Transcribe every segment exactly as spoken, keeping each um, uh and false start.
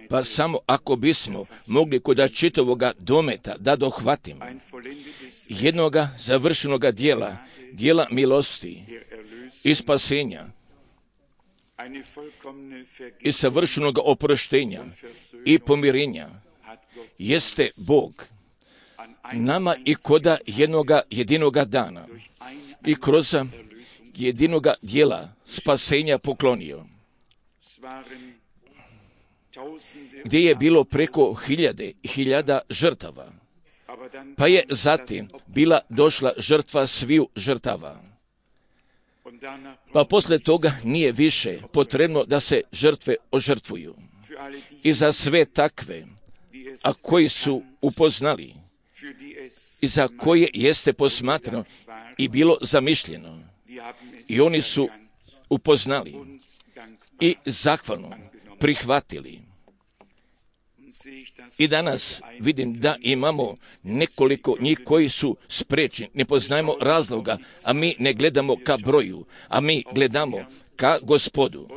Pa samo ako bismo mogli kod čitavoga dometa da dohvatimo jednoga završenoga dijela, dijela milosti i spasenja i savršenog oproštenja i pomirenja, jeste Bog nama i koda jednoga jedinoga dana i kroz jedinoga dijela spasenja poklonio, gdje je bilo preko hiljade i hiljada žrtava, pa je zatim bila došla žrtva sviju žrtava. Pa posle toga nije više potrebno da se žrtve ožrtvuju. I za sve takve, a koji su upoznali, i za koje jeste posmatrano i bilo zamišljeno, i oni su upoznali i zahvalno prihvatili. I danas vidim da imamo nekoliko njih koji su sprečni, ne poznajemo razloga, a mi ne gledamo ka broju, a mi gledamo ka Gospodu.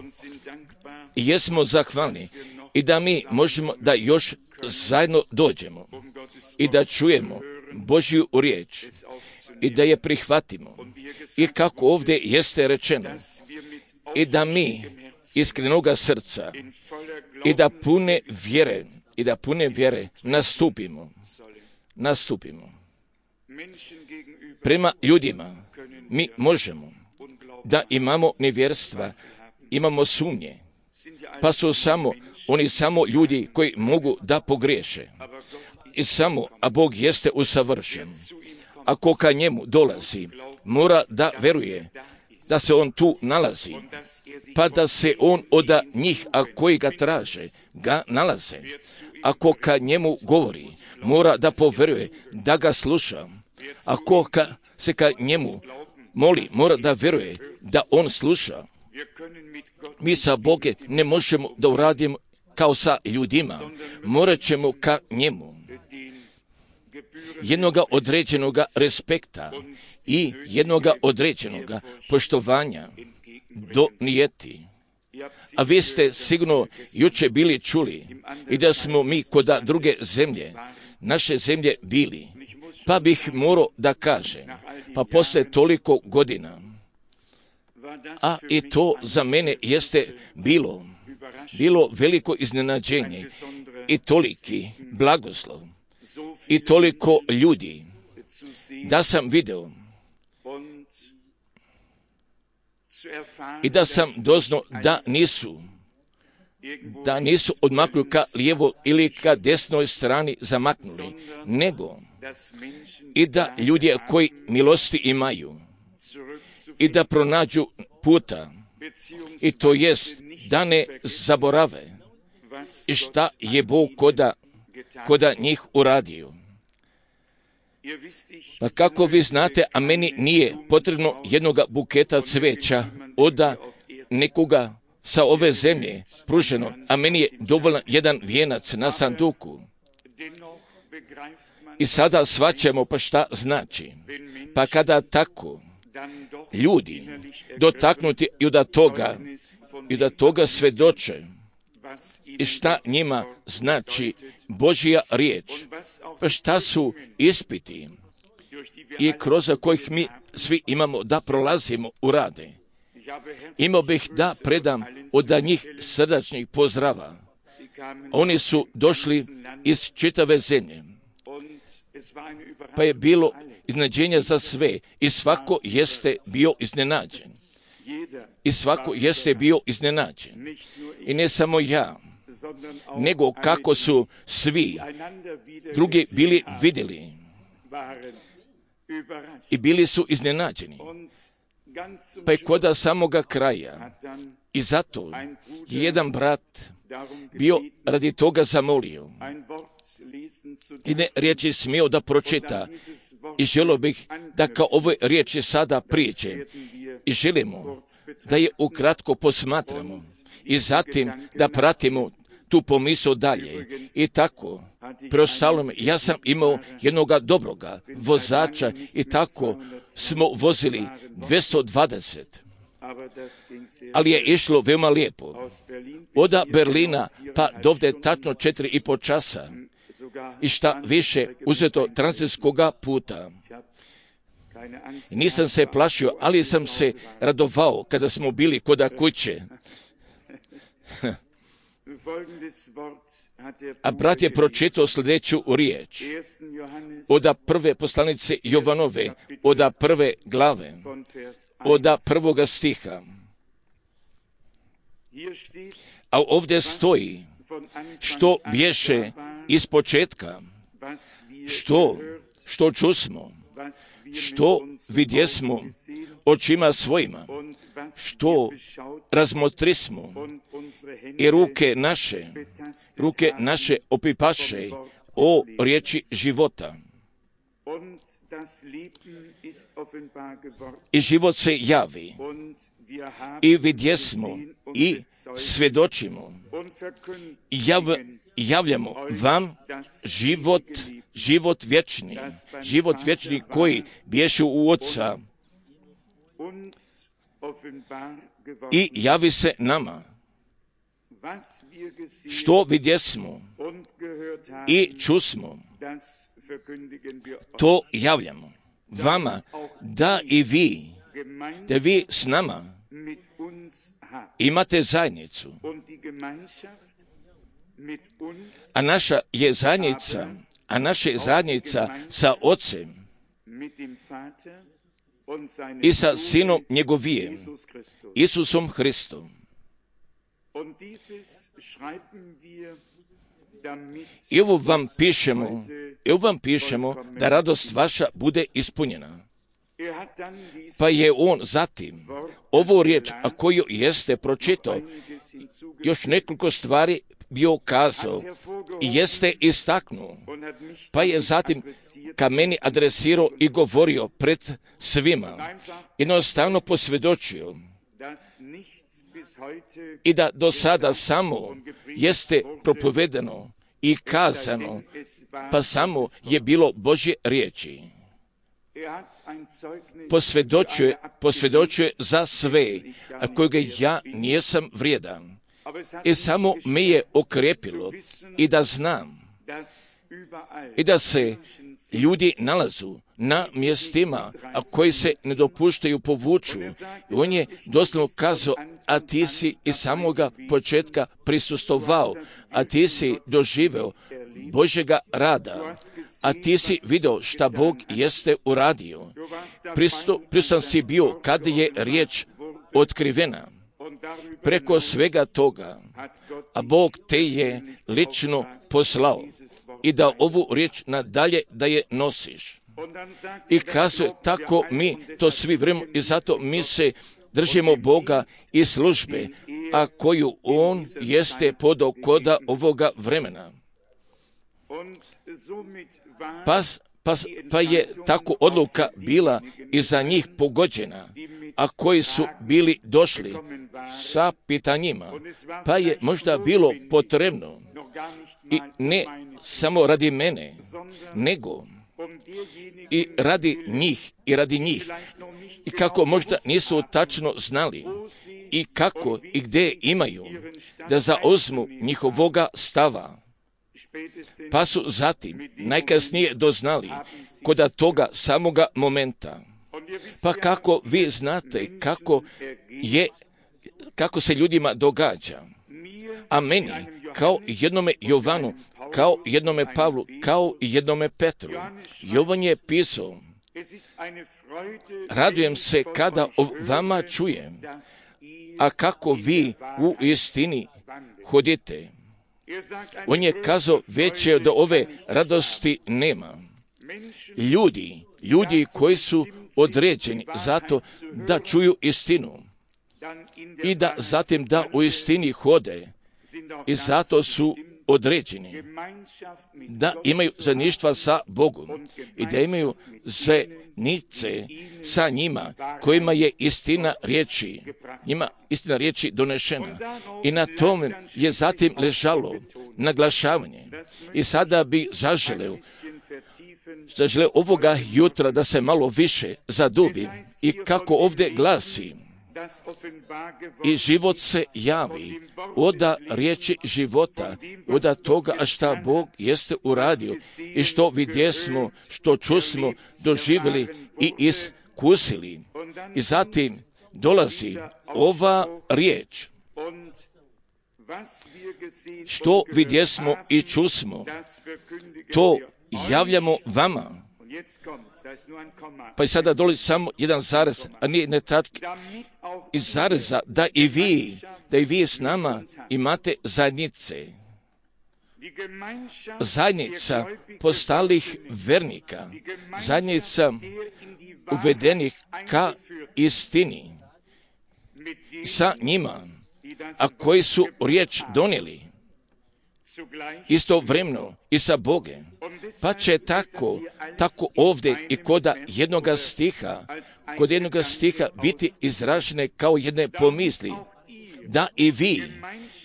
I jesmo zahvalni i da mi možemo da još zajedno dođemo i da čujemo Božju riječ i da je prihvatimo. I kako ovdje jeste rečeno, i da mi iskrenoga srca i da pune vjere i da pune vjere nastupimo, nastupimo. Prema ljudima mi možemo da imamo nevjerstva, imamo sumnje, pa su samo oni samo ljudi koji mogu da pogriješe. I samo, a Bog jeste usavršen. Ako ka njemu dolazi, mora da veruje da se on tu nalazi, pa da se on od njih, a koji ga traže, ga nalaze. Ako ka njemu govori, mora da poveruje, da ga sluša. Ako ka, se ka njemu moli, mora da veruje, da on sluša. Mi sa Bogom ne možemo da uradimo kao sa ljudima, morat ćemo ka njemu jednoga određenoga respekta i jednoga određenoga poštovanja donijeti. A vi ste sigurno juče bili čuli i da smo mi kod druge zemlje, naše zemlje bili, pa bih morao da kažem, pa posle toliko godina, a i to za mene jeste bilo, bilo veliko iznenađenje i toliki blagoslov i toliko ljudi, da sam video i da sam doznao da nisu, da nisu odmaknuli ka lijevo ili ka desnoj strani zamaknuli, nego i da ljudi koji milosti imaju i da pronađu puta, i to jest da ne zaborave i šta je Bog koda, koda njih uradio. Pa kako vi znate, a meni nije potrebno jednoga buketa cveća od nekoga sa ove zemlje pruženo, a meni je dovoljan jedan vijenac na sanduku. I sada shvaćamo pa šta znači. Pa kada tako ljudi dotaknuti i da toga, i da toga svedoče, i šta njima znači Božja riječ, pa šta su ispiti i kroz kojih mi svi imamo da prolazimo u rade. Imao bih da predam od njih srdačnih pozdrava. Oni su došli iz čitave zemlje, pa je bilo iznenađenje za sve i svako jeste bio iznenađen. I svako jeste bio iznenađen. I ne samo ja, nego kako su svi drugi bili vidjeli i bili su iznenađeni. Pa je koda samoga kraja. I zato je jedan brat bio radi toga zamolio i ne riječi smio da pročita. I želio bih da kao ove riječi sada prijeđe. I želimo da je ukratko posmatramo i zatim da pratimo tu pomisao dalje. I tako, preostalo mi, ja sam imao jednoga dobroga vozača i tako smo vozili dvjesto dvadeset. ali je išlo veoma lijepo. Od Berlina pa dovde tačno četiri i po časa i šta više uzeto tranzitskoga puta. Nisam se plašio, ali sam se radovao kada smo bili koda kuće. A brat je pročitao sljedeću riječ od prve poslanice Jovanove, od prve glave, od prvoga stiha. A ovdje stoji što bješe iz početka, što, što čusmo, što vidjesmo očima svojima, što razmotrismo i ruke naše, ruke naše opipaše o riječi života. I život se javi i vidjesmo i svjedočimo i jav, javljamo vam život, život vječni, život vječni koji bješe u Otca i javi se nama. Što vidjesmo i čusmo, to javljamo vama, da i vi, da vi s nama imate zajednicu. A naša je zajednica, a naša je zajednica sa Otcem i sa Sinom njegovijem, Isusom Hristom. I ovo vam pišemo, i ovo vam pišemo da radost vaša bude ispunjena. Pa je on zatim ovu riječ, a koju jeste pročitao, još nekoliko stvari bio kazao i jeste istaknuo, pa je zatim ka meni adresirao i govorio pred svima, jednostavno posvjedočio i da do sada samo jeste propovedeno i kazano, pa samo je bilo Božje riječi. Posvjedočuje, posvjedočuje za sve, a kojega ja nijesam vrijedan. I samo me je okrepilo i da znam i da se ljudi nalazu na mjestima, a koji se ne dopuštaju povuču. I on je doslovno kazao, a ti si iz samoga početka prisustovao, a ti si doživeo Božjega rada, a ti si vidio šta Bog jeste uradio. Prisutan si bio kad je riječ otkrivena. Preko svega toga, a Bog te je lično poslao i da ovu riječ nadalje da je nosiš. I kaže, tako mi to svi vrememo i zato mi se držimo Boga i službe, a koju On jeste podao koda ovoga vremena. Pa, pa, pa je tako odluka bila i za njih pogođena, a koji su bili došli sa pitanjima, pa je možda bilo potrebno i ne samo radi mene, nego i radi njih i radi njih i kako možda nisu tačno znali i kako i gdje imaju da zauzmu njihovoga stava, pa su zatim najkasnije doznali koda toga samoga momenta. Pa kako vi znate kako je, kako se ljudima događa, a meni kao jednome Jovanu, kao jednome Pavlu, kao i jednome Petru, Jovan je pisao, radujem se kada o vama čujem, a kako vi u istini hodite. On je kazao, veće do ove radosti nema. Ljudi, ljudi koji su određeni zato da čuju istinu i da zatim da u istini hode i zato su određeni da imaju zajedništva sa Bogom i da imaju zajednice sa njima kojima je istina riječi, njima istina riječi donešena. I na tome je zatim ležalo naglašavanje. I sada bi zaželeo zaželeo ovoga jutra da se malo više zadubi i kako ovdje glasi, i život se javi oda riječi života, oda toga šta Bog jeste uradio i što vidjesmo, što čusmo, doživjeli i iskusili. I zatim dolazi ova riječ, što vidjesmo i čusmo, to javljamo vama. Pa i sada dolazi samo jedan zarez, a nije ne tačke. Iz zareza da i vi, da i vi s nama imate zajednice. Zajednica postalih vernika, zajednica uvedenih ka istini, sa njima, a koji su riječ donijeli, istovremeno i sa Bogom. Pa će tako, tako ovdje i kod jednoga stiha, kod jednoga stiha biti izražene kao jedne pomisli, da i vi,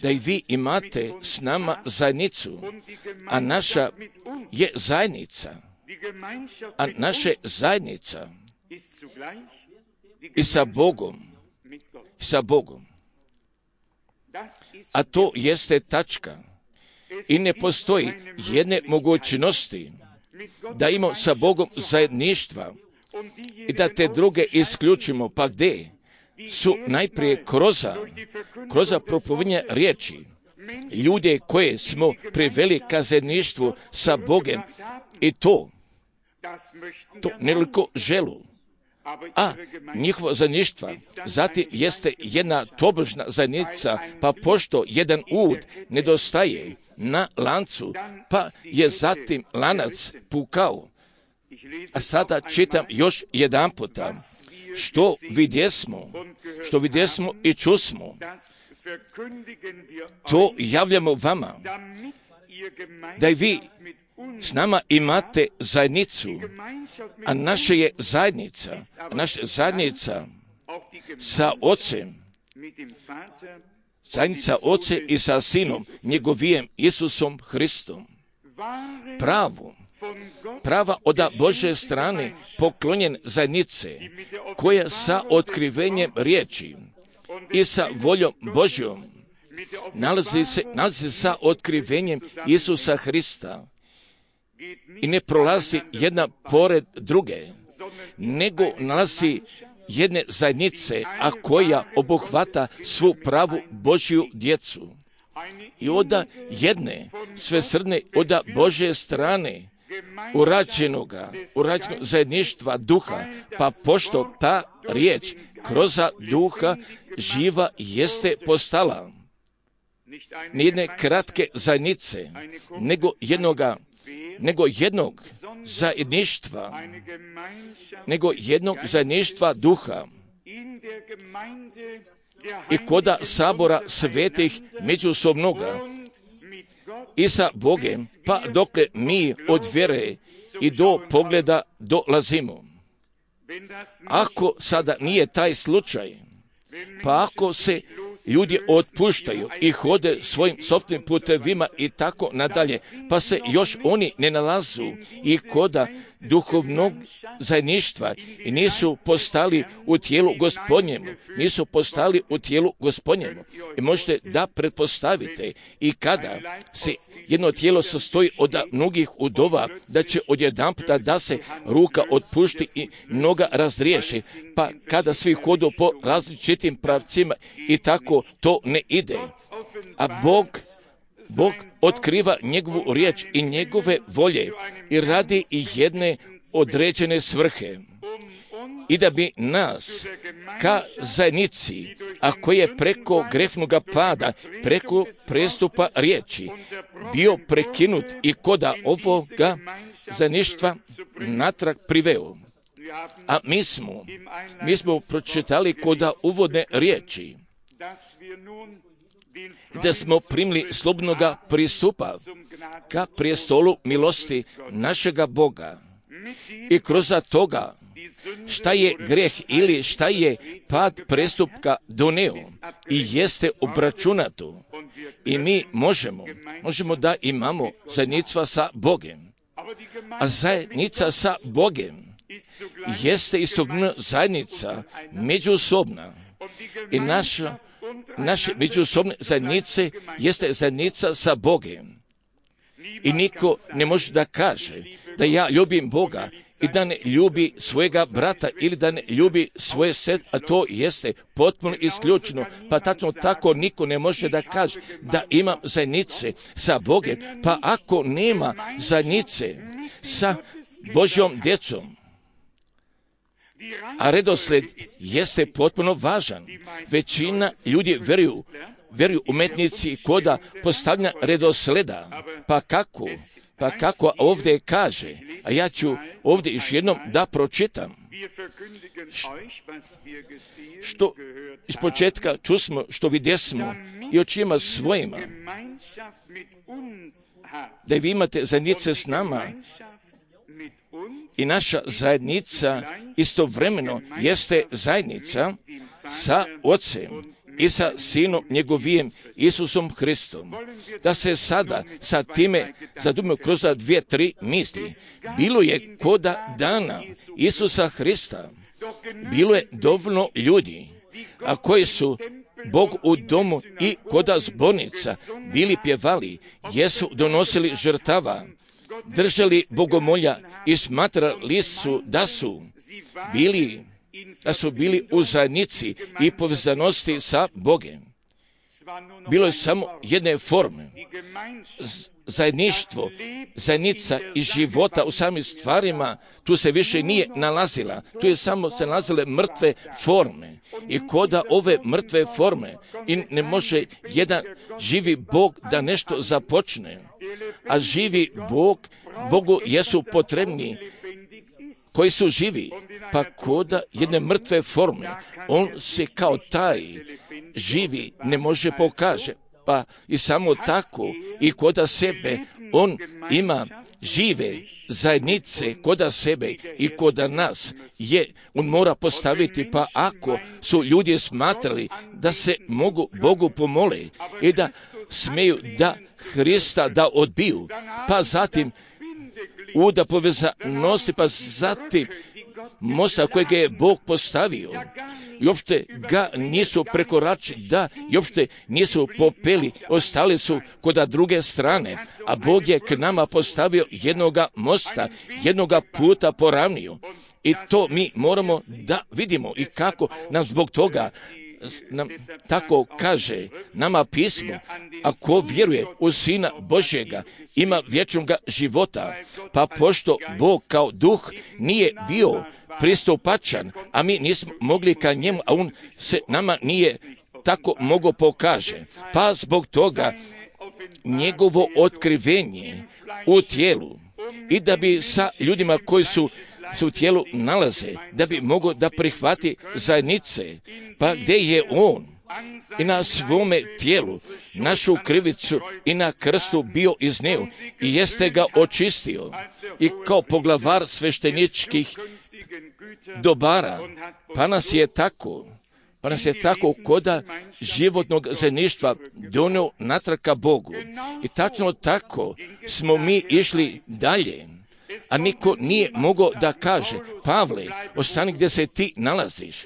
da i vi imate s nama zajednicu, a naša je zajednica, a naša zajednica i sa Bogom, sa Bogom. A to jeste tačka. I ne postoji jedne mogućnosti da imamo sa Bogom zajedništva i da te druge isključimo. Pa gdje su najprije kroza, kroza propovedanje riječi, ljude koje smo priveli ka zajedništvu sa Bogom i to, to neliko želu. A njihova zajedništva zatim jeste jedna tobožna zajednica, pa pošto jedan ud nedostaje na lancu, pa je zatim lanac pukao. A sada čitam još jedan puta, što vidjesmo, što vidjesmo i čusmo, to javljamo vama, da i vi s nama imate zajednicu, a naša je zajednica, a naša zajednica sa Ocem, zajednica Oce i sa Sinom, njegovijem Isusom Hristom. Pravo, prava od Božje strane poklonjen zajednice, koja sa otkrivenjem riječi i sa voljom Božjom nalazi se, nalazi sa otkrivenjem Isusa Hrista i ne prolazi jedna pored druge, nego nalazi jedne zajednice, a koja obuhvata svu pravu Božju djecu. I oda jedne svesrdne, oda Božje strane, urađenoga, urađenog zajedništva duha, pa pošto ta riječ kroz duha živa jeste postala. Nijedne kratke zajednice, nego jednoga, nego jednog zajedništva, nego jednog zajedništva duha i koda sabora svetih međusobnoga i sa Bogem, pa dokle mi od vjere i do pogleda dolazimo. Ako sada nije taj slučaj, pa ako se ljudi otpuštaju i hode svojim sopstvenim putevima i tako nadalje, pa se još oni ne nalazu i koda duhovnog zajedništva i nisu postali u tijelu Gospodnjemu, nisu postali u tijelu Gospodnjemu. I možete da pretpostavite i kada se jedno tijelo sastoji od mnogih udova, da će odjedanputa da se ruka otpušti i noga razriješi, pa kada svi hodu po različitim pravcima i tako to ne ide. A Bog, Bog otkriva njegovu riječ i njegove volje i radi i jedne određene svrhe. I da bi nas ka zajednici, a koji je preko grefnoga pada, preko prestupa riječi, bio prekinut i koda ovoga zajedništva natrag priveo. A mi smo, mi smo pročitali koda uvodne riječi, da smo primili slobodnoga pristupa ka prijestolu milosti našega Boga. I kroz toga šta je greh ili šta je pad prestupka doneo i jeste obračunato. I mi možemo, možemo da imamo zajednica sa Bogem. A zajednica sa Bogem jeste istovremeno zajednica međusobna I naša, naše međusobne zajednice jeste zajednica sa Bogom. I niko ne može da kaže da ja ljubim Boga i da ne ljubi svojega brata ili da ne ljubi svoje sestre, a to jeste potpuno isključeno. Pa tačno tako niko ne može da kaže da imam zajednice sa Bogom, pa ako nema zajednice sa Božjom djecom, a redosled jeste potpuno važan. Većina ljudi veruju, veruju umetnici koda postavljanja redosleda. Pa kako? Pa kako ovdje kaže? A ja ću ovdje još jednom da pročitam. Što iz početka čusmo, što vidjesmo i očima svojima, da vi imate zajednice s nama. I naša zajednica istovremeno jeste zajednica sa Ocem i sa Sinom njegovim Isusom Hristom. Da se sada sa time zadumimo kroz dvije, tri misli. Bilo je koda dana Isusa Hrista, bilo je dovoljno ljudi, a koji su Bog u domu i koda zbornica bili pjevali, jesu donosili žrtava, držali bogomolja i smatrali su da su bili, da su bili u zajednici i povezanosti sa Bogom. Bilo je samo jedne forme. Zajedništvo, zajednica i života u samim stvarima, tu se više nije nalazila. Tu je samo se nalazile mrtve forme. I koda ove mrtve forme i ne može jedan živi Bog da nešto započne. A živi Bog, Bogu jesu potrebni koji su živi, pa koda jedne mrtve forme, on se kao taj živi ne može pokaže, pa i samo tako i koda sebe on ima žive zajednice koda sebe i koda nas je, on mora postaviti, pa ako su ljudi smatrali da se mogu Bogu pomole i da smeju da Hrista da odbiju, pa zatim u da povezanosti, pa zatim mosta kojeg je Bog postavio i uopšte ga nisu prekoračili, da i uopšte nisu popeli, ostali su koda druge strane, a Bog je k nama postavio jednoga mosta, jednoga puta poravnio. I to mi moramo da vidimo i kako nam zbog toga nam tako kaže nama pismo, a ko vjeruje u Sina Božjega ima vječnog života, pa pošto Bog kao duh nije bio pristupačan, a mi nismo mogli ka njemu, a on se nama nije tako mogo pokaže, pa zbog toga njegovo otkrivenje u tijelu i da bi sa ljudima koji su se u tijelu nalaze, da bi mogo da prihvati zajednice, pa gdje je on i na svome tijelu našu krivicu i na krstu bio izneo i jeste ga očistio i kao poglavar svešteničkih dobara, pa nas je tako, pa nas je tako koda životnog zajedništva donio natrag ka Bogu. I tačno tako smo mi išli dalje, a niko nije mogao da kaže, Pavle, ostani gdje se ti nalaziš,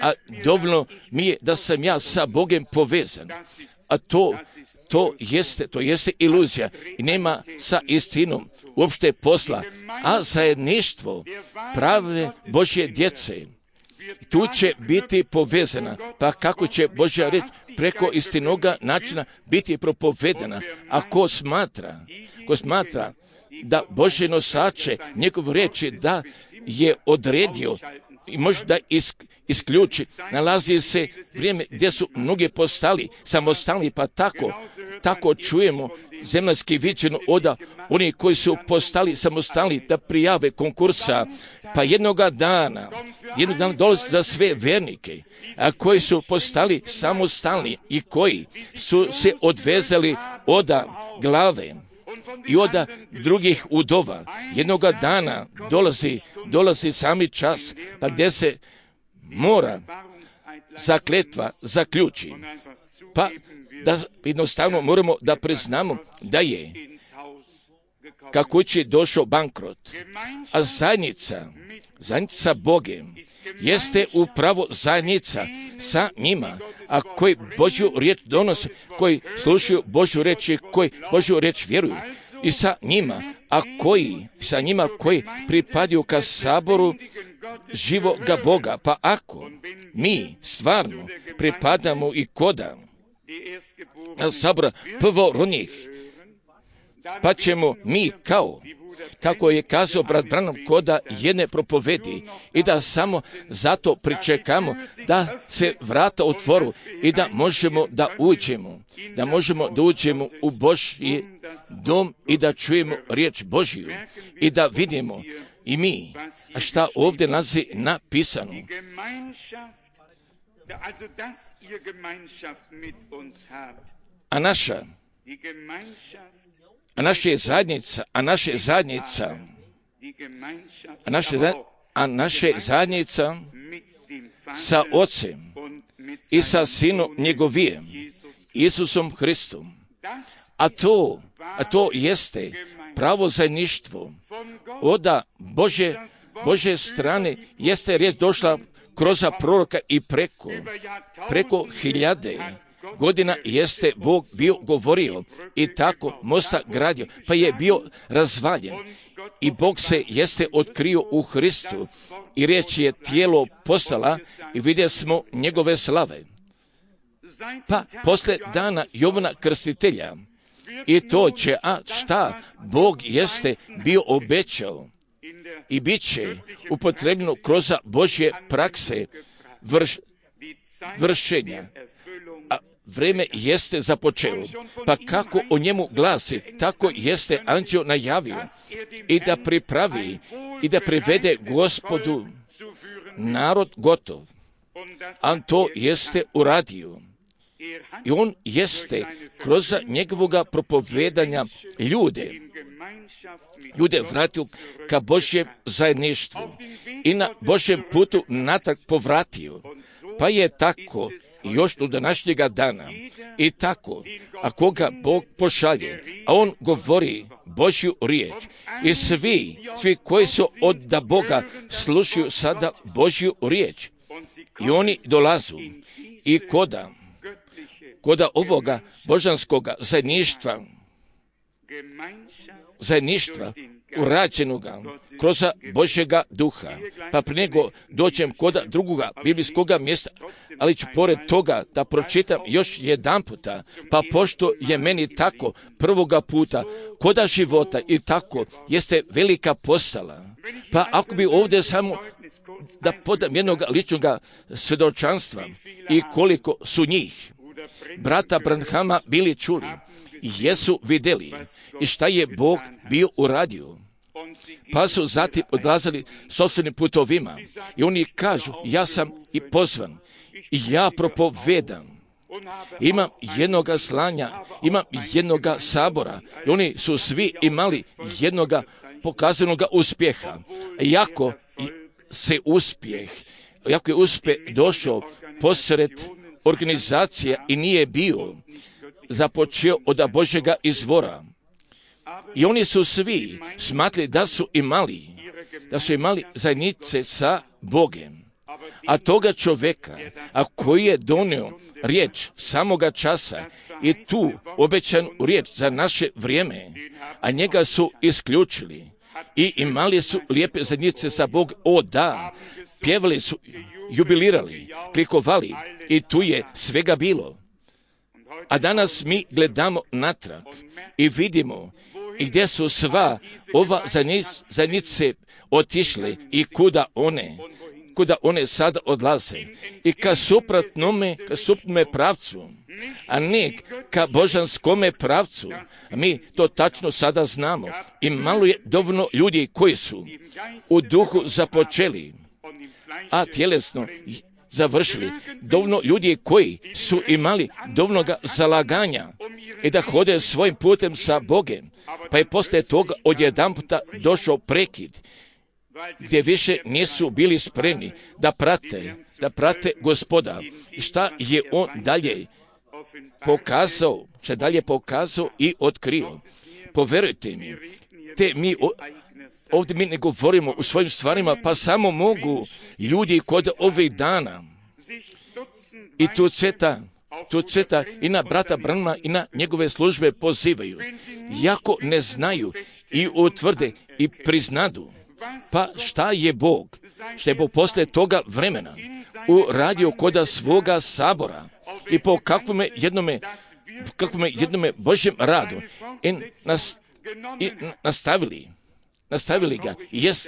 a dovoljno mi je da sam ja sa Bogom povezan. A to, to jeste, to jeste iluzija i nema sa istinom uopšte posla, a zajedništvo prave Božje djece tu će biti povezana, pa kako će Božja reč preko istinoga načina biti propovedana. A ko smatra, ko smatra da Božje nosače njegov reči da je odredio i može da isk, isključi, nalazi se vrijeme gdje su mnogi postali samostalni, pa tako, tako čujemo zemaljski viđeno oda oni koji su postali samostalni da prijave konkursa, pa jednoga dana, jednog dana dolazi za sve vernike, a koji su postali samostalni i koji su se odvezali oda glave i oda drugih udova. Jednoga dana dolazi, dolazi sami čas, pa gdje se mora zakletva zaključi. Pa da jednostavno moramo da priznamo da je ka kući došao bankrot, a zajednica Zajednica sa Bogom jeste upravo zajednica sa njima, a koji Božju riječ donose, koji slušaju Božju riječ i koji Božju riječ vjeruju i sa njima, a koji sa njima koji pripadaju ka saboru živoga Boga. Pa ako mi stvarno pripadamo i koda sabora prvorodnih, pa ćemo mi kao, kako je kazao brat Branham, koda jedne propovedi i da samo zato pričekamo da se vrata otvoru i da možemo da uđemo, da možemo da uđemo u Božji dom i da čujemo riječ Božju i da vidimo i mi, a šta ovdje nalazi napisano. A naša, a naša je zajednica, a naša je zajednica, a naša, a naša je zajednica sa Ocem i sa Sinom njegovijem, Isusom Hristom. A to, a to jeste pravo zajedništvo oda Bože, Bože strane, jeste riječ došla kroz proroka i preko, preko hiljade godina jeste Bog bio govorio i tako mosta gradio, pa je bio razvaljen i Bog se jeste otkrio u Hristu i riječ je tijelo postala i vidjeli smo njegove slave. Pa posle dana Jovana Krstitelja i to će, a šta Bog jeste bio obećao i bit će upotrebljeno kroz Božje prakse vrš, vršenja. A vreme jeste započelo, pa kako o njemu glasi, tako jeste anđeo najavio i da pripravi i da privede Gospodu narod gotov. A to jeste uradio. I on jeste kroz njegovoga propovedanja ljude, ljude vratio ka Božjem zajedništvu i na Božjem putu natrag povratio. Pa je tako još do današnjega dana i tako, a koga Bog pošalje, a on govori Božju riječ i svi, svi koji su od da Boga slušaju sada Božju riječ i oni dolazu i koda koda ovoga božanskoga zajedništva, zajedništva urađenoga kroz Božjega duha. Pa prije nego dođem koda drugoga biblijskoga mjesta, ali ću pored toga da pročitam još jedan puta, pa pošto je meni tako prvoga puta koda života i tako jeste velika postala. Pa ako bi ovdje samo da podam jednog ličnog svjedočanstva i koliko su njih brata Branhama bili čuli, jesu vidjeli i šta je Bog bio uradio. Pa su zatim odlazili sopstvenim putovima i oni kažu, ja sam i pozvan i ja propovedam. Imam jednoga slanja, imam jednoga sabora i oni su svi imali jednoga pokazanoga uspjeha. Jako se uspjeh, jako je uspjeh došao posred organizacija i nije bio započeo od Božjega izvora. I oni su svi smatrali da su imali, da su imali zajednice sa Bogom. A toga čovjeka, a koji je donio riječ samoga časa i tu obećanu riječ za naše vrijeme, a njega su isključili i imali su lijepe zajednice sa Bogom. O da, pjevali su, jubilirali, klikovali i tu je svega bilo. A danas mi gledamo natrag i vidimo i gdje su sva ova zajednice otišle i kuda one, kuda one sada odlaze. I ka suprotnome, ka suprotnome pravcu, a ne ka božanskome pravcu. Mi to tačno sada znamo. I malo je dovoljno ljudi koji su u duhu započeli, a tjelesno završili. Dovoljno ljudi koji su imali dovoljnoga zalaganja i da hode svojim putem sa Bogom, pa je poslije toga odjedanputa došao prekid, gdje više nisu bili spremni da prate, da prate Gospoda. I šta je on dalje pokazao, šta dalje pokazao i otkrio. Poverujte mi, te mi ovdje mi ne govorimo u svojim stvarima, pa samo mogu ljudi kod ovih dana i tu ceta, tu ceta i na brata Branhama i na njegove službe pozivaju. Jako ne znaju i utvrde i priznadu, pa šta je Bog, šta je Bog poslije toga vremena uradio koda svoga sabora i po kakvome jednome, kakvome jednome Božjem radu i, nas, i nastavili, nastavili ga. Jes,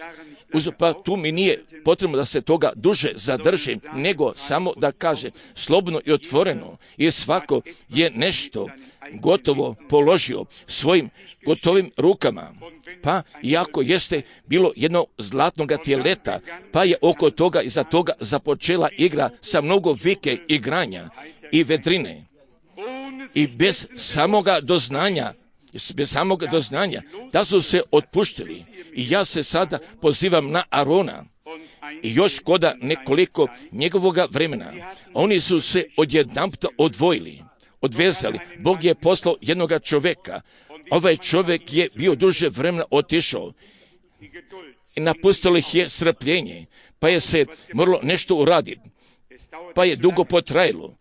pa tu mi nije potrebno da se toga duže zadrži, nego samo da kaže slobodno i otvoreno, i svako je nešto gotovo položio svojim gotovim rukama. Pa iako jeste bilo jedno zlatnoga tjeleta, pa je oko toga i za toga započela igra sa mnogo vike igranja i vedrine. I bez samoga doznanja, bez samoga doznanja, da su se otpuštili. I ja se sada pozivam na Arona i još koda nekoliko njegovoga vremena. Oni su se odjedanput odvojili, odvezali. Bog je poslao jednoga čovjeka. Ovaj čovjek je bio duže vremena otišao i napustilo ih je strpljenje, pa je se moralo nešto uraditi, pa je dugo potrajalo.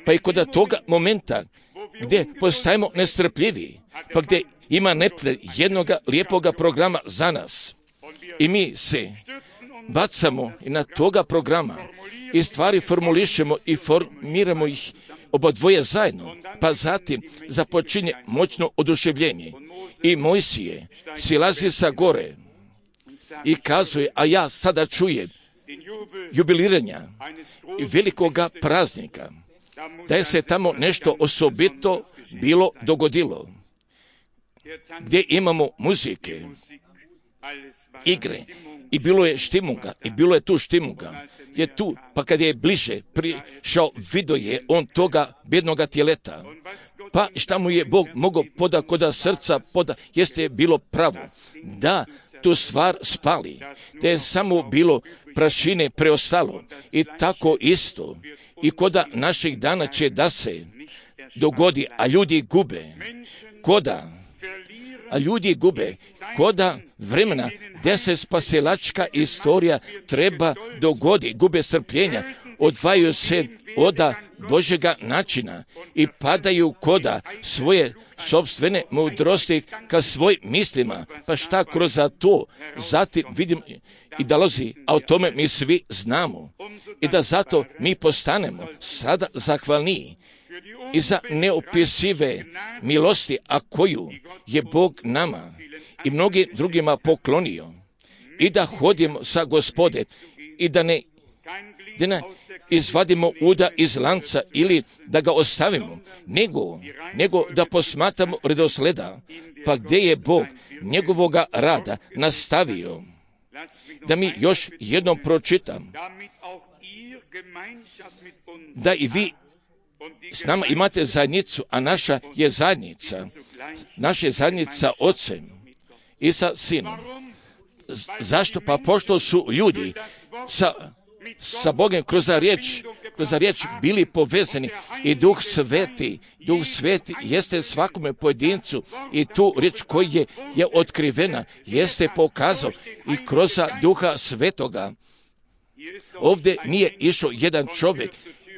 Pa i kod toga momenta gdje postajemo nestrpljivi, pa gdje ima neprijatelj jednoga lijepoga programa za nas i mi se bacamo i na toga programa i stvari formulišemo i formiramo ih obodvoje zajedno, pa zatim započinje moćno oduševljenje i Mojsije silazi sa gore i kazuje, a ja sada čujem jubiliranja i velikoga praznika, da je se tamo nešto osobito bilo dogodilo, gdje imamo muzike, igre, i bilo je štimunga, i bilo je tu štimunga, je tu, pa kad je bliže prišao, vidio je on toga bjednoga tjeleta, pa šta mu je Bog mogao poda koda srca poda, jeste bilo pravo, da tu stvar spali, da je samo bilo prašine preostalo, i tako isto, i koda naših dana će da se dogodi, a ljudi gube, koda, a ljudi gube, koda vremena, gdje se spasilačka istorija treba dogodi, gube strpljenja, odvajaju se oda Božjega načina i padaju koda svoje sopstvene mudrosti ka svojim mislima, pa šta kroz to, zatim vidim i dolazi, a o tome mi svi znamo, i da zato mi postanemo sada zahvalniji i za neopisive milosti, a koju je Bog nama i mnogim drugima poklonio, i da hodimo sa Gospode i da ne, da ne izvadimo uda iz lanca ili da ga ostavimo, nego, nego da posmatramo redosleda, pa gdje je Bog njegovoga rada nastavio. Da mi još jednom pročitam, da i vi s nama imate zajednicu, a naša je zajednica, naša je zajednica Otcem i sa Sinom. Zašto? Pa pošto su ljudi sa, sa Bogom kroz riječ, kroz riječ bili povezani i Duh Sveti, Duh Sveti jeste svakome pojedincu i tu riječ koja je, je otkrivena, jeste pokazao i kroz Duha Svetoga. Ovdje nije išao jedan čovjek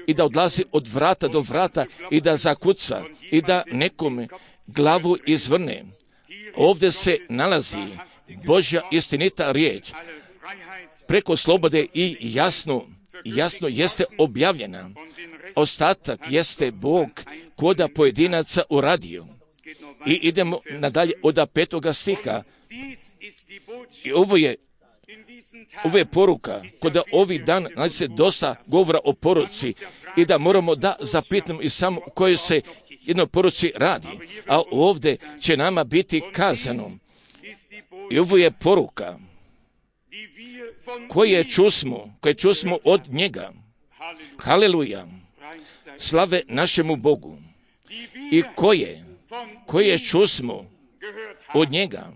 i da odlazi od vrata do vrata i da zakuca i da nekome glavu izvrne. Ovdje se nalazi Božja istinita riječ, preko slobode i jasno, jasno jeste objavljena. Ostatak jeste Bog koda pojedinaca uradio. I idemo nadalje od petoga stiha. I ovo je Ovo je poruka, kod ovih dana znači se dosta govora o poruci i da moramo da zapitamo i samo o kojoj se jednoj poruci radi. A ovdje će nama biti kazano. I ovo je poruka koje čusmo, koje čusmo od njega. Haleluja. Slave našemu Bogu. I koje, koje čusmo od njega.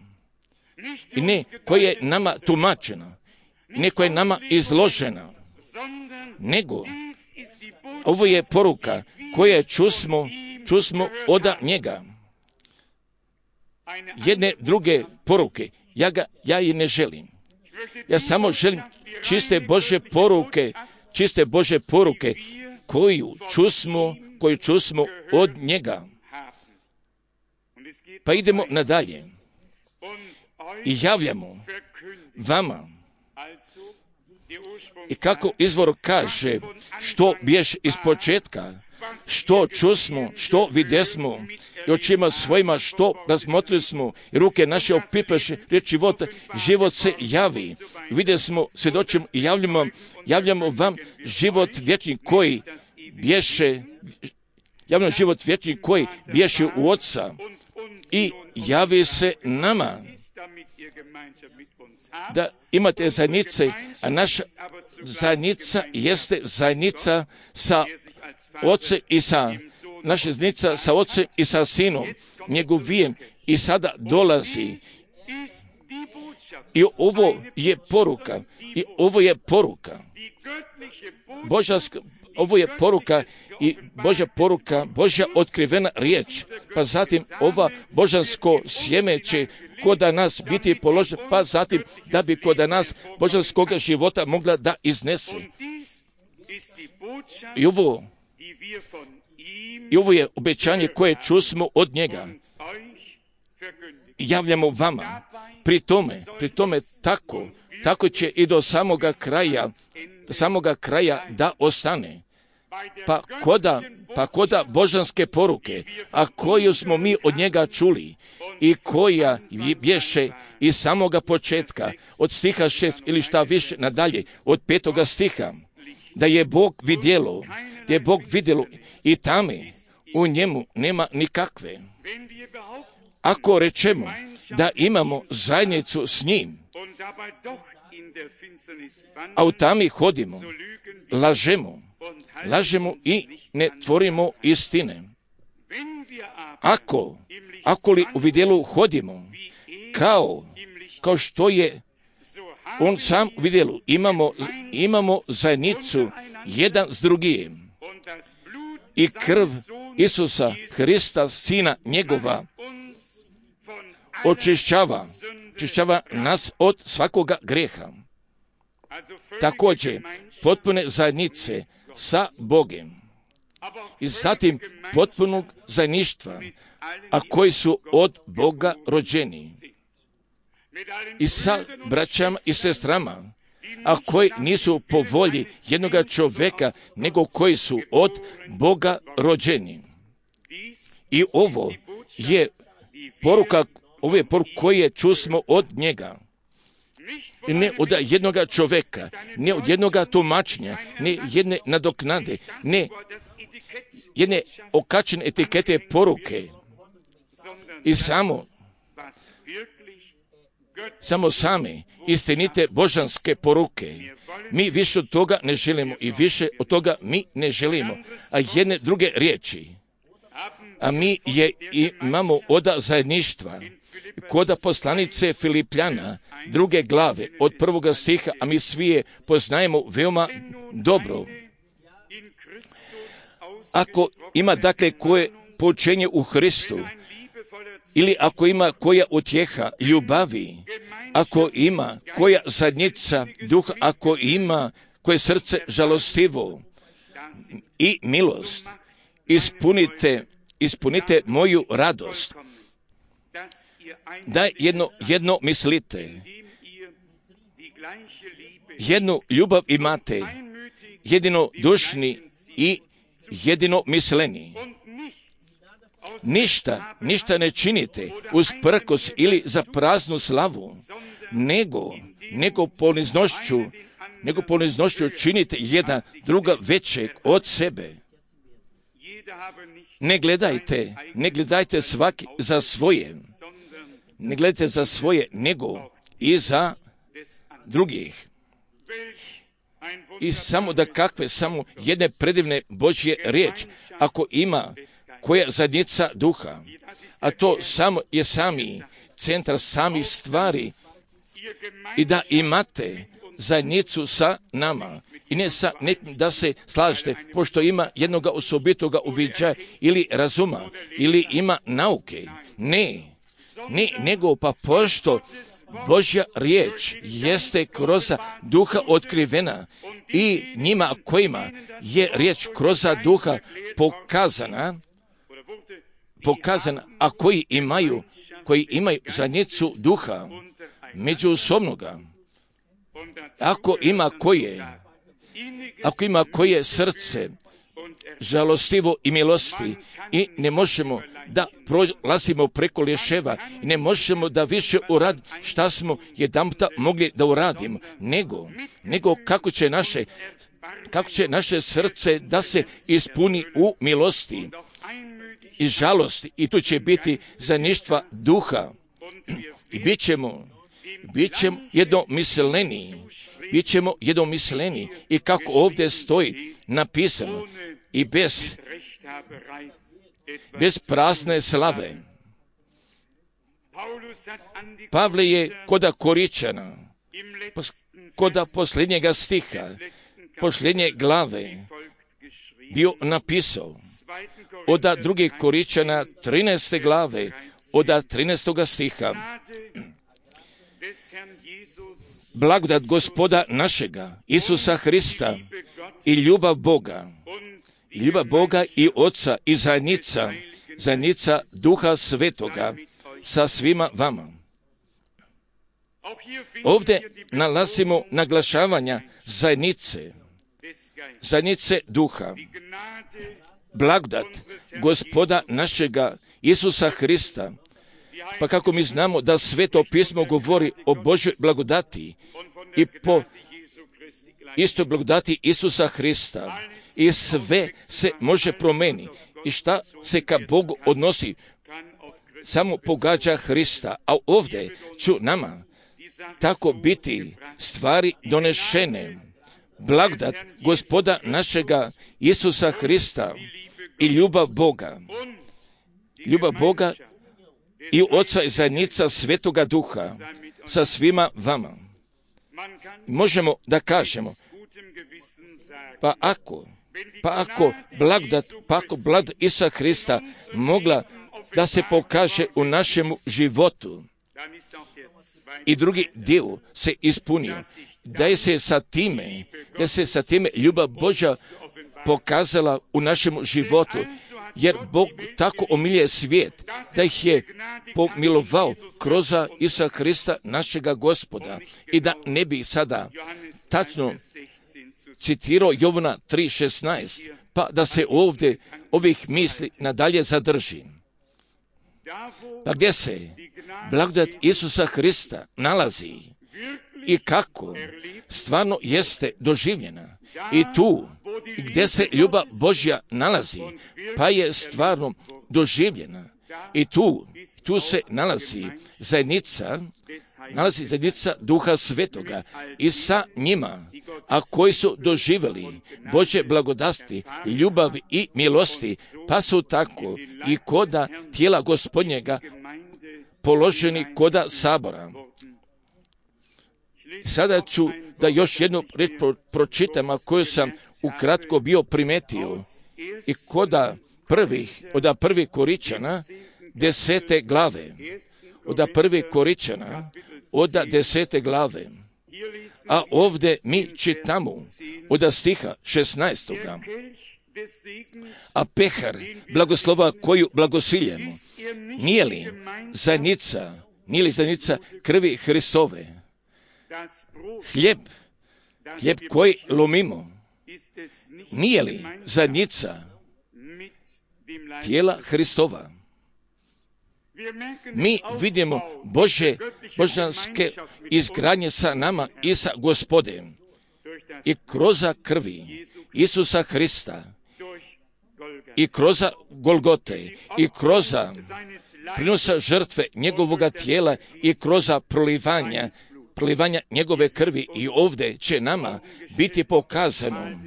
I ne koje je nama tumačeno, ne koje je nama izložena, nego ovo je poruka koje čusmo, čusmo od njega. Jedne druge poruke ja ga, ja i ne želim. Ja samo želim čiste Božje poruke, čiste Božje poruke, koju čusmo, koju čusmo od njega. Pa idemo nadalje i javljamo vama. I kako izvor kaže, što biješ iz početka, što čusmo, što videsmo, i očima svojima što razmotrili smo, i ruke naše opipaše, riječ života, život se javi. Vidjeli smo, svjedočimo i javljamo, javljamo vam život vječni koji bješe, javljamo život vječni koji bješe u Otca i javi se nama. Da imate zajednice, a naša zajednica jeste zajednica sa Ocem i sa, naša zajednica sa Ocem i sa Sinom, njegovijem, i sada dolazi. I ovo je poruka, i ovo je poruka, Božanska, ovo je poruka i Božja poruka, Božja otkrivena riječ, pa zatim ova božansko sjeme će kod nas biti položeno, pa zatim da bi kod nas božanskog života mogla da iznese. I ovo, i ovo je obećanje koje čusmo od njega. Javljamo vama. Pri tome, pri tome tako, tako će i do samoga kraja, do samoga kraja da ostane. Pa koda, pa koda božanske poruke, a koju smo mi od njega čuli i koja bješe iz samoga početka, od stiha šest ili šta više nadalje, od petoga stiha, da je Bog vidjelo, da je Bog vidjelo i tame u njemu nema nikakve. Ako rečemo da imamo zajednicu s njim, a u tami hodimo, lažemo, lažemo i ne tvorimo istine. Ako, ako li u vidjelu hodimo, kao, kao što je on sam u vidjelu, imamo, imamo zajednicu jedan s drugim. I krv Isusa Hrista, Sina njegova, očišćava, očišćava nas od svakoga greha. Također, potpune zajednice sa Bogem i zatim potpunog zajedništva, a koji su od Boga rođeni. I sa braćama i sestrama, a koji nisu po volji jednoga čovjeka, nego koji su od Boga rođeni. I ovo je poruka, ovo je poruka koje čusmo od njega. Ne od jednoga čovjeka, ne od jednoga tumačenja, ne jedne nadoknade, ne jedne okačene etikete poruke. I samo, samo same istinite božanske poruke. Mi više od toga ne želimo i više od toga mi ne želimo. A jedne druge riječi. A mi je imamo oda zajedništva. Koda poslanice Filipljana, druge glave, od prvoga stiha, a mi svi je poznajemo veoma dobro. Ako ima dakle koje poučenje u Hristu, ili ako ima koja utjeha ljubavi, ako ima koja zajednica duha, ako ima koje srce žalostivo i milost, ispunite, ispunite moju radost. Da jedno, jedno mislite, jednu ljubav imate, jedino dušni i jedino misleni. Ništa, ništa ne činite uz prkos ili za praznu slavu, nego, nego poniznošću, nego poniznošću činite jedan druga većeg od sebe. Ne gledajte, ne gledajte svaki za svoje, ne gledajte za svoje, nego i za drugih. I samo da kakve, samo jedne predivne Božje riječ, ako ima koja zajednica duha, a to samo je sami centar samih stvari, i da imate zajednicu sa nama, i ne sa nekim da se slažete, pošto ima jednoga osobitoga uviđaja ili razuma, ili ima nauke. Ne, ne, nego pa pošto Božja riječ jeste kroz duha otkrivena i njima kojima je riječ kroz duha pokazana, pokazana, a koji imaju, koji imaju zajednicu duha međusobnoga. Ako ima koje, ako ima koje srce žalostivo i milosti i ne možemo da prolazimo preko lješeva i ne možemo da više uradimo šta smo jedanputa mogli da uradimo, nego, nego kako će naše, kako će naše srce da se ispuni u milosti i žalosti i tu će biti zajedništva duha i bit ćemo, bit ćemo jednomisleni, bit ćemo jednomisleni i kako ovdje stoji napisano i bez, bez prazne slave. Pavle je koda Koričana, koda posljednjega stiha, posljednje glave bio napisao od druge Koričana trinaeste glave, od trinaestoga stiha. Blagodat Gospoda našega, Isusa Hrista i ljubav Boga, i ljubav Boga i Oca i zajednica, zajednica Duha Svetoga sa svima vama. Ovdje nalazimo naglašavanja zajednice, zajednice Duha. Blagodat Gospoda našega Isusa Hrista. Pa kako mi znamo da Sveto pismo govori o Božoj blagodati i po istoj blagodati Isusa Hrista i sve se može promijeniti i šta se ka Bogu odnosi samo pogađa Hrista, a ovdje ću nama tako biti stvari donešene. Blagodat Gospoda našega Isusa Hrista i ljubav Boga, ljubav Boga i Oca i zajednica Svetoga Duha sa svima vama. Možemo da kažemo, pa ako, pa ako blagodat, pa ako blagodat Isusa Hrista mogla da se pokaže u našemu životu i drugi dio se ispunio, da je se sa time, da se sa time ljubav Božja pokazala u našem životu, jer Bog tako omilje svijet, da ih je pomilovao kroz Isusa Hrista našega Gospoda. I da ne bi sada tačno citirao Jovana tri šesnaest, pa da se ovdje ovih misli nadalje zadrži. Pa gdje se blagodat Isusa Hrista nalazi i kako stvarno jeste doživljena i tu gdje se ljubav Božja nalazi, pa je stvarno doživljena i tu, tu se nalazi zajednica, nalazi zajednica Duha Svetoga i sa njima, a koji su doživjeli Božje blagodati, ljubav i milosti, pa su tako i koda tijela Gospodnjega položeni koda sabora. Sada ću da još jednu reč pročitam, a koju sam ukratko bio primetio i koda prvih, od prvih Koričana desete glave, od prvih Koričana od desete glave, a ovdje mi čitamo od stiha šesnaestoga. A pehar blagoslova koju blagosiljemo, nije li zajednica, nije li zajednica krvi Hristove? Hljeb, hljeb koji lomimo, nije li zajednica tijela Hristova? Mi vidimo Bože, božanske izgradnje sa nama i sa Gospodem i kroz krvi Isusa Hrista i kroz Golgote i kroz prinosa žrtve njegovoga tijela i kroz prolivanja prolivanja njegove krvi i ovdje će nama biti pokazano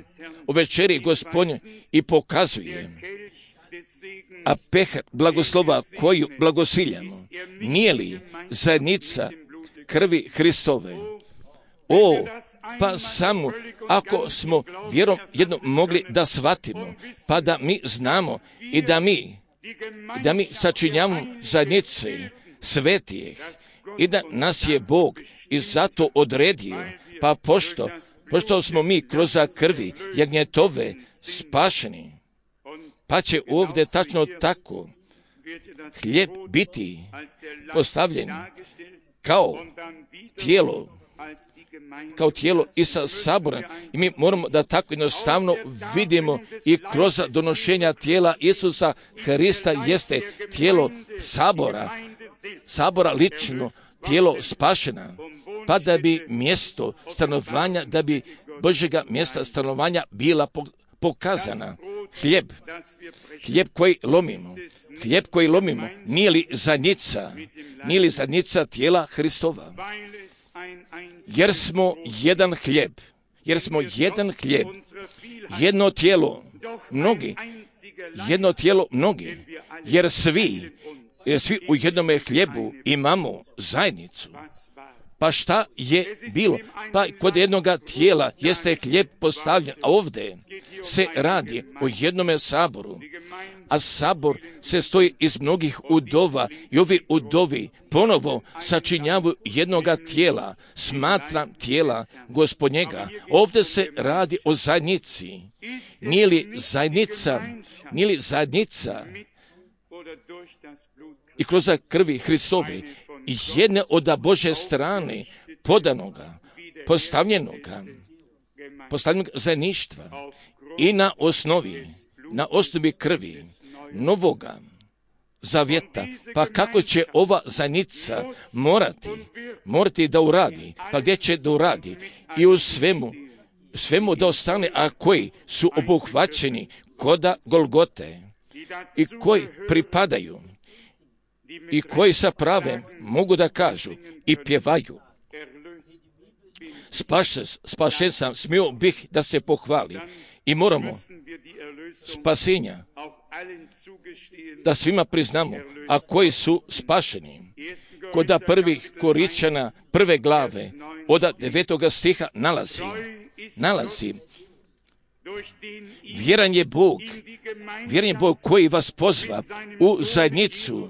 u večeri Gospodnje i pokazuje, a pehar blagoslova koju blagosiljamo, nije li zajednica krvi Hristove? O, pa samo ako smo vjerom jedno mogli da shvatimo, pa da mi znamo i da mi, da mi sačinjavamo zajednice svetijih i da nas je Bog i zato odredio, pa pošto, pošto smo mi kroz krvi jagnjetove spašeni, pa će ovdje tačno tako hljeb biti postavljen kao tijelo, kao tijelo Isa sabora. I mi moramo da tako jednostavno vidimo i kroz donošenja tijela Isusa Hrista jeste tijelo sabora, sabora lično, tijelo spašena, pa da bi mjesto stanovanja, da bi Božjega mjesta stanovanja bila pokazana. Hljeb, hljeb koji lomimo, hljeb koji lomimo, nije li zadnjica, nije li zadnjica tijela Hristova? Jer smo jedan hljeb, jer smo jedan hljeb, jedno tijelo, mnogi, jedno tijelo, mnogi, jer svi, jer svi u jednome hlijebu imamo zajednicu. Pa šta je bilo? Pa kod jednoga tijela jeste hljeb postavljen, a ovdje se radi o jednome saboru, a sabor se stoji iz mnogih udova i ovi udovi ponovo sačinjavaju jednoga tijela, smatram tijela Gospodnjega. Ovdje se radi o zajednici. Nije li zajednica, nije li zajednica i kroz krvi Hristove jedne od Božje strane podanoga, postavljenoga, postavljenog zajedništva i na osnovi, na osnovi krvi novoga zavjeta. Pa kako će ova zajednica morati, morati da uradi? Pa gdje će da uradi? I u svemu, svemu da ostane, a koji su obuhvaćeni koda Golgote i koji pripadaju i koji sa pravem mogu da kažu i pjevaju: Spašen, spašen sam, smio bih da se pohvali. I moramo spasenja da svima priznamo, a koji su spašeni. Koda prvih Koričana prve glave od devetoga stiha nalazi, nalazi vjeran je Bog, vjeran je Bog koji vas pozva u zajednicu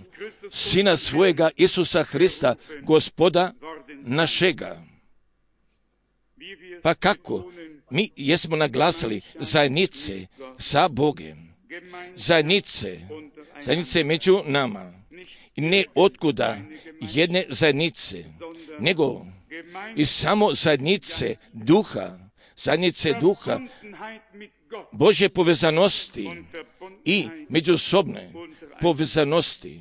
Sina svojega Isusa Hrista, Gospoda našega. Pa kako? Mi jesmo naglasili zajednice sa Bogem, zajednice, zajednice među nama. I ne otkuda jedne zajednice, nego i samo zajednice duha, zajednice duha, Božje povezanosti i međusobne povezanosti.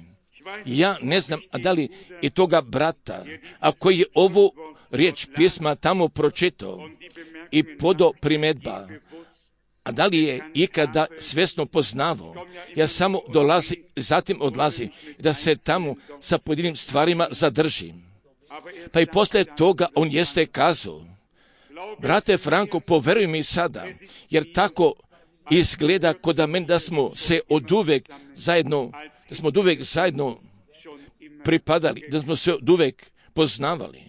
Ja ne znam, a da li i toga brata, a koji je ovu riječ pisma tamo pročitao i podo primjedba, a da li je ikada svjesno poznavao, ja samo dolazi, zatim odlazi, da se tamo sa pojedinim stvarima zadržim. Pa i poslije toga on jeste kazao: brate Franko, poveruj mi sada, jer tako izgleda kod mene da smo se od uvek zajedno, da smo od uvek zajedno pripadali, da smo se od uvek poznavali.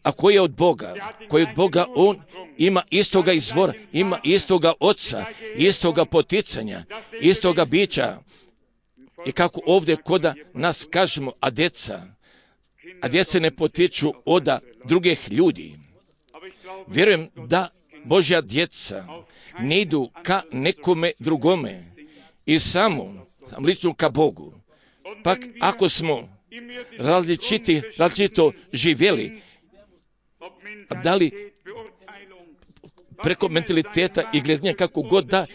A koji je od Boga? Koji je od Boga, on ima istoga izvora, ima istoga oca, istoga poticanja, istoga bića. I kako ovdje koda nas kažemo, a djeca, a djece ne potiču od drugih ljudi. Vjerujem da Božja djeca ne idu ka nekome drugome i samo, samo lično ka Bogu. Pak ako smo različiti, različito živjeli, da li preko mentaliteta i gledanja kako god da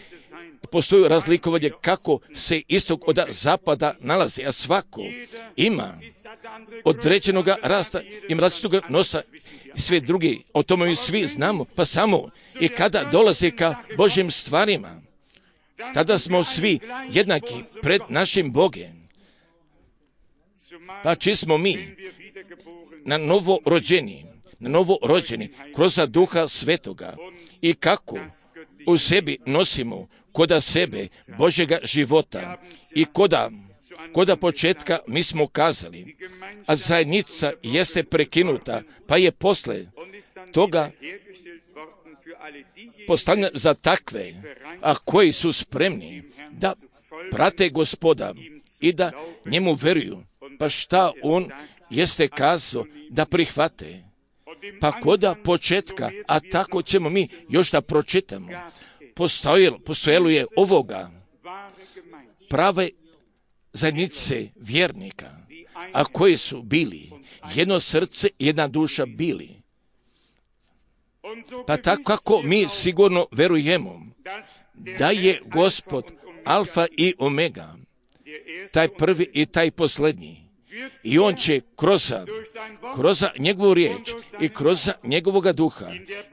postoji razlikovanje kako se istog od zapada nalazi, a svako ima određenog rasta, ima različitog nosa i sve drugi, o tome mi svi znamo, pa samo i kada dolazi ka Božjim stvarima, tada smo svi jednaki pred našim Bogem. Pa či smo mi na novo rođeni, na novo rođeni kroz Duha Svetoga i kako u sebi nosimo koda sebe Božjega života i koda, koda početka mi smo kazali, a zajednica jeste prekinuta, pa je posle toga postavljena za takve, a koji su spremni da prate Gospoda i da njemu veruju. Pa šta on jeste kazao da prihvate. Pa koda početka, a tako ćemo mi još da pročitamo, postojalo, postojalo je ovoga prave zajednice vjernika, a koji su bili jedno srce, jedna duša bili. Pa tako kako mi sigurno verujemo da je Gospod Alfa i Omega, taj prvi i taj posljednji. I on će kroz, kroz njegovu riječ i kroz njegovoga duha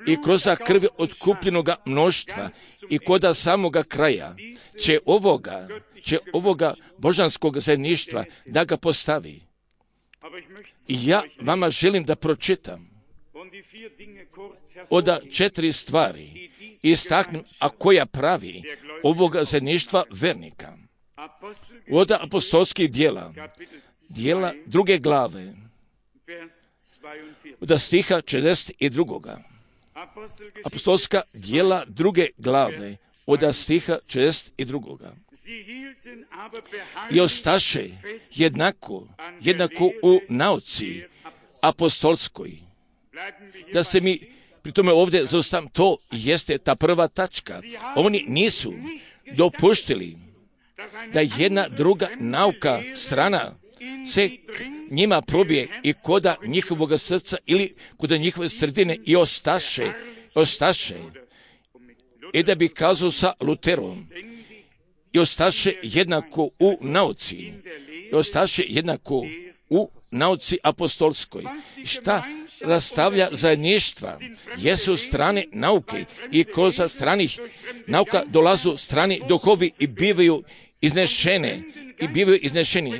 i kroz krvi otkupljenoga mnoštva i koda samoga kraja će ovoga, će ovoga božanskog zajedništva da ga postavi. I ja vama želim da pročitam od četiri stvari istaknem, a koja pravi ovoga zajedništva vernika. Od apostolskih dijela, dijela druge glave, od stiha četrdeset drugoga. Apostolska dijela druge glave, od stiha četrdeset drugoga. I ostaše jednako, jednako u nauci apostolskoj. Da se mi pri tome ovdje zaustavim, to jeste ta prva tačka. Oni nisu dopuštili da jedna druga nauka strana se njima probije i koda njihovog srca ili koda njihove sredine i ostaše, ostaše. I da bi kazao sa Luterom, i ostaše jednako u nauci, i ostaše jednako u nauci apostolskoj. Šta rastavlja zajedništva jesu strane nauke i kroz stranih nauka dolazu strani duhovi i bivaju iznešene i bivaju iznešeni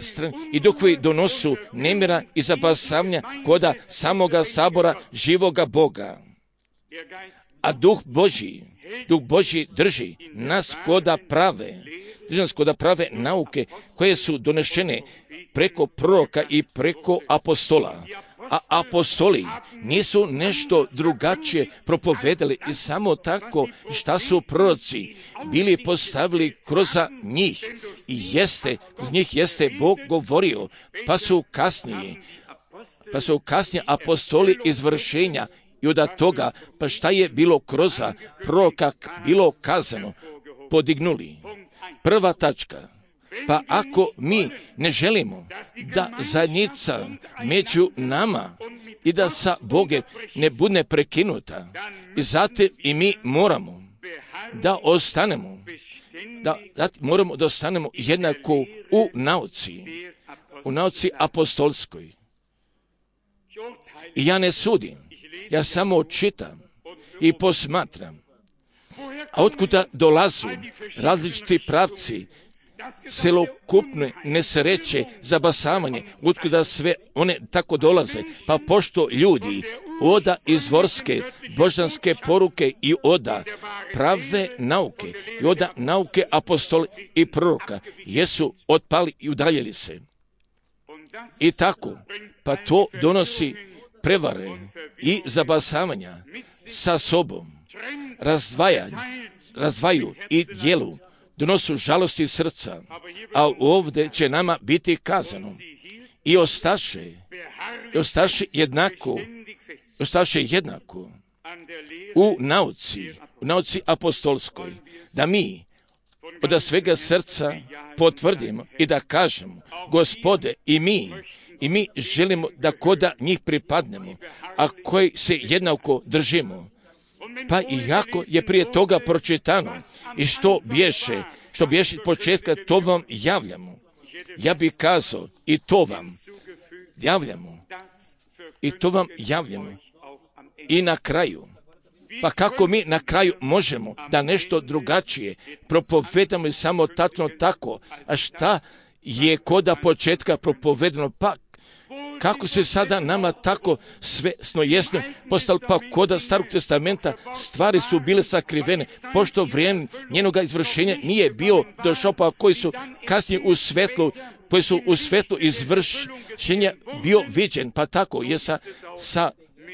i duhovi donosu nemira i zabasavanja koda samoga sabora živoga Boga. A duh Božji, duh Božji drži nas koda prave, drži nas koda prave nauke koje su donešene preko proroka i preko apostola. A apostoli nisu nešto drugačije propovedali i samo tako šta su proroci bili postavili kroz njih i jeste, kroz njih jeste Bog govorio, pa su kasnije, pa su kasnije apostoli izvršenja i od toga, pa šta je bilo kroz proroka bilo kazano, podignuli. Prva tačka. Pa ako mi ne želimo da zajednica među nama i da sa Bogom ne bude prekinuta, i zato i mi moramo da ostanemo, da, da moramo da ostanemo jednako u nauci, u nauci apostolskoj. I ja ne sudim, ja samo čitam i posmatram. A otkuda dolazu različiti pravci, celokupne nesreće, zabasavanje, otkuda sve one tako dolaze, pa pošto ljudi oda izvorske, božanske poruke i oda prave nauke, i oda nauke apostola i proroka, jesu otpali i udaljili se. I tako, pa to donosi prevare i zabasavanja sa sobom, razdvajanje, razdvaju i dijelu, donosu žalosti srca, a ovdje će nama biti kazano i ostaše, i ostaše jednako, ostaše jednako u nauci, u nauci apostolskoj, da mi od svega srca potvrdimo i da kažemo, Gospode, i mi, i mi želimo da koda njih pripadnemo, a koji se jednako držimo. Pa iako je prije toga pročitano i što bješe, što bješe od početka, to vam javljamo. Ja bih kazao i to vam javljamo. I to vam javljamo. I na kraju. Pa kako mi na kraju možemo da nešto drugačije propovedamo i samo tatno tako, a šta je koda početka propovedano, pa kako se sada nama tako svesno jasno postalo, pa koda Starog testamenta stvari su bile sakrivene, pošto vrijeme njenoga izvršenja nije bio došao, pa koji su kasnije u svetlu, koji su u svetlu izvršenja bio viđen, pa tako je sa, sa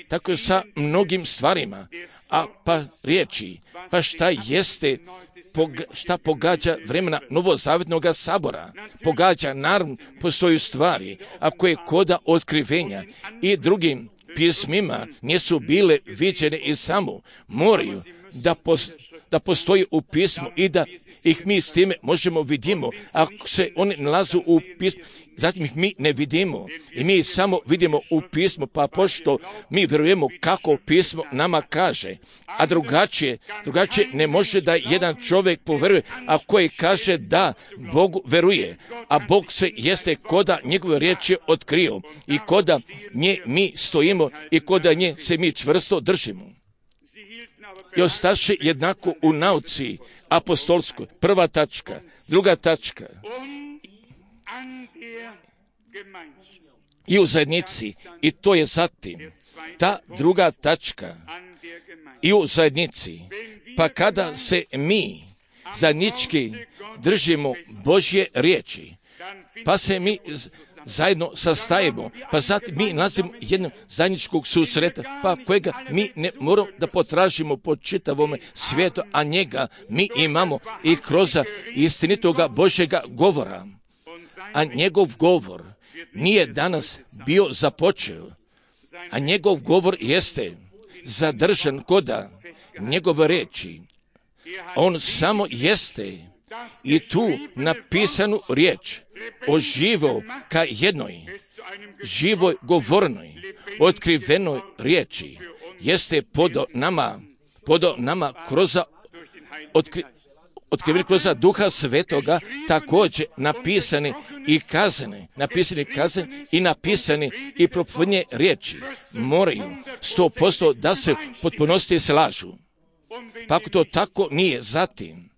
tako je sa mnogim stvarima, a pa riječi, pa šta jeste, poga, šta pogađa vremena Novozavjetnog sabora, pogađa, naravno, postoju stvari, a koje koda otkrivenja i drugim pismima nisu bile viđene i samo moraju da pos, da postoji u pismu i da ih mi s time možemo vidimo. Ako se oni nalazu u pismu, zatim ih mi ne vidimo i mi samo vidimo u pismu, pa pošto mi vjerujemo kako pismo nama kaže, a drugačije, drugačije ne može da jedan čovjek poveruje, a koji kaže da Bogu veruje, a Bog se jeste koda njegove riječi otkrio i koda nje mi stojimo i koda nje se mi čvrsto držimo. I ostaše jednako u nauci apostolskoj, prva tačka, druga tačka, i u zajednici, i to je zatim ta druga tačka, i u zajednici, pa kada se mi zajednički držimo Božje riječi, pa se mi zajedno sastajemo, pa zatim mi nalazimo jednog zajedničkog susreta, pa kojega mi ne moramo da potražimo po čitavom svijetu, a njega mi imamo i kroz istinitoga Božjega govora. A njegov govor nije danas bio započeo, a njegov govor jeste zadržan koda njegove reči. On samo jeste i tu napisanu riječ oživio ka jednoj živoj govornoj, otkrivenoj riječi, jeste podo nama, podo nama kroz otkri, otkriveni kroz Duha Svetoga, također napisani i kazane, napisani kazane i napisani i propovedne riječi moraju sto posto da se potpunosti slažu. Pa ako to tako nije, zatim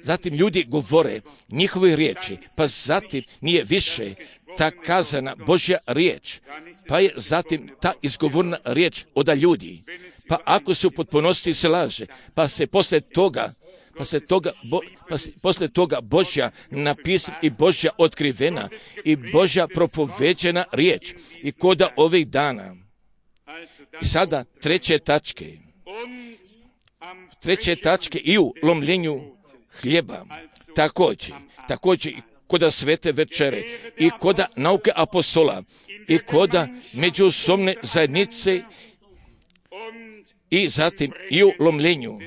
Zatim ljudi govore njihove riječi, pa zatim nije više ta kazana Božja riječ, pa je zatim ta izgovorna riječ od ljudi. Pa ako se u potpunosti slaže, pa se posle toga, pa se toga, bo, pa se posle toga Božja napisana i Božja otkrivena i Božja propoveđena riječ i koda ovih dana. I sada treće tačke. Treće tačke i u lomljenju hljeba, također, također i koda svete večere, i koda nauke apostola, i koda međusobne zajednice, i zatim i u lomljenju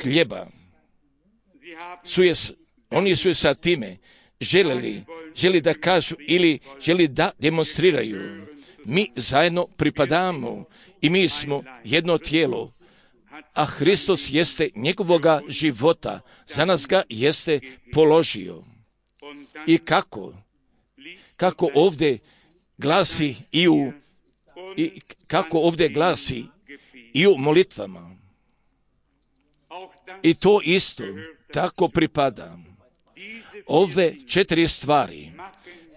hljeba. Su je, oni su je sa time željeli, želi da kažu ili želi da demonstriraju. Mi zajedno pripadamo i mi smo jedno tijelo, a Hristos jeste njegovoga života, za nas ga jeste položio. I kako? Kako ovdje glasi i u, i kako ovdje glasi i u molitvama. I to isto tako pripada. Ove četiri stvari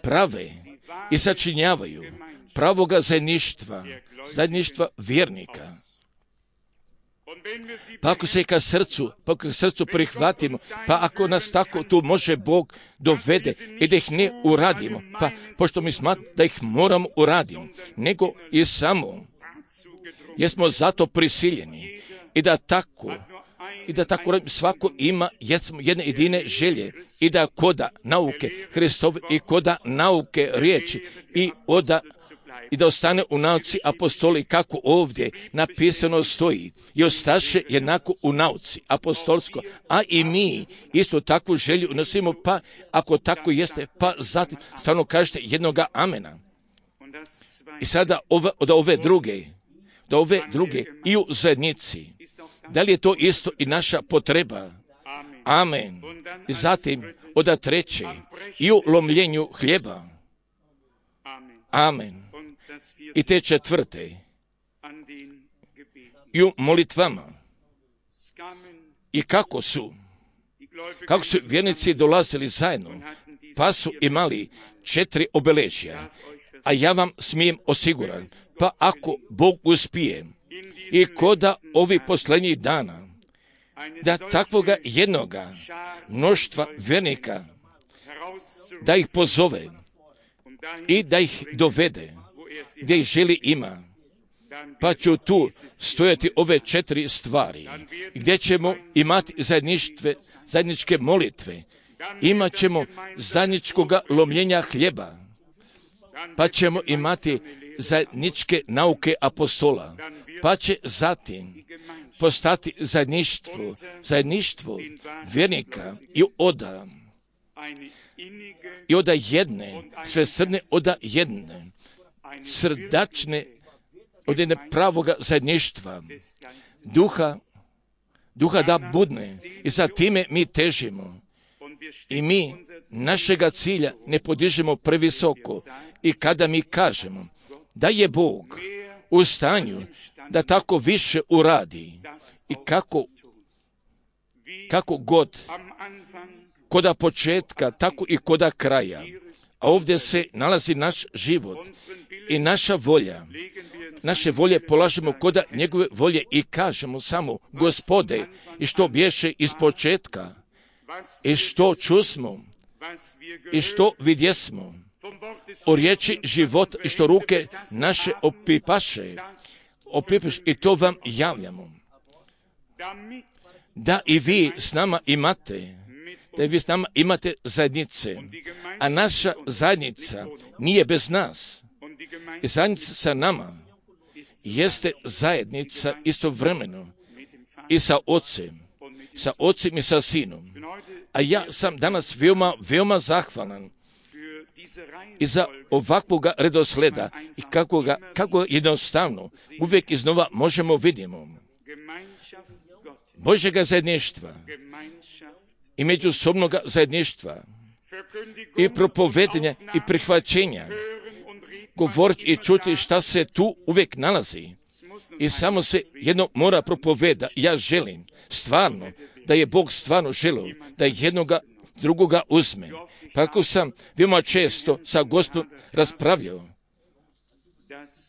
prave i sačinjavaju pravoga zajedništva, zajedništva vjernika. Pa ako se ka srcu, pa ako srcu prihvatimo, pa ako nas tako tu može Bog dovede i da ih ne uradimo, pa pošto mi smatramo da ih moramo uraditi, nego i samo jesmo zato prisiljeni i da tako i da tako svako ima jedne jedine želje i da koda nauke Hristove i koda nauke riječi i oda i da ostane u nauci apostoli kako ovdje napisano stoji i ostaše jednako u nauci apostolsko, a i mi isto takvu želju nosimo, pa ako tako jeste, pa zatim stvarno kažete jednoga amena. I sada ove, od ove druge, do ove druge i u zajednici, da li je to isto i naša potreba? Amen. I zatim od treće i u lomljenju hljeba. Amen. I te četvrte i u molitvama. I kako su kako su vjernici dolazili zajedno, pa su imali četiri obeležja, a ja vam smijem osiguran, pa ako Bog uspije i koda ovih posljednjih dana, da takvoga jednoga mnoštva vjernika, da ih pozove i da ih dovede gdje ih želi ima, pa ću tu stojati ove četiri stvari, gdje ćemo imati zajedništve, zajedničke molitve, imat ćemo zajedničkoga lomljenja hljeba, pa ćemo imati zajedničke nauke apostola, pa će zatim postati zajedništvo, zajedništvo vjernika i oda, i oda jedne, svesrdne oda jedne, srdačne od jedne pravoga zajedništva, duha, duha da budne, i za time mi težimo. I mi našega cilja ne podižemo previsoko. I kada mi kažemo da je Bog u stanju da tako više uradi i kako, kako god, koda početka, tako i koda kraja, a ovdje se nalazi naš život i naša volja. Naše volje polažemo koda njegove volje i kažemo samo, Gospode, i što bješe iz početka, i što čusmo, i što vidjesmo, o riječi život, i što ruke naše opipaše, opipaš, i to vam javljamo. Da i vi s nama imate, da i vi s nama imate zajednice, a naša zajednica nije bez nas. I zajednica sa nama jeste zajednica istovremeno i sa Ocem, sa Ocem i sa Sinom. A ja sam danas veoma, veoma zahvalan i za ovakvoga redosleda i kako ga, kako jednostavno uvijek iznova možemo vidimo Božjega zajedništva i međusobnoga zajedništva i propovedanja i prihvaćenja, govoriti i čuti šta se tu uvijek nalazi. I samo se jedno mora propoveda. Ja želim stvarno da je Bog stvarno želio da jednoga drugoga uzme. Pa ako sam veoma često sa Gospodom raspravljao,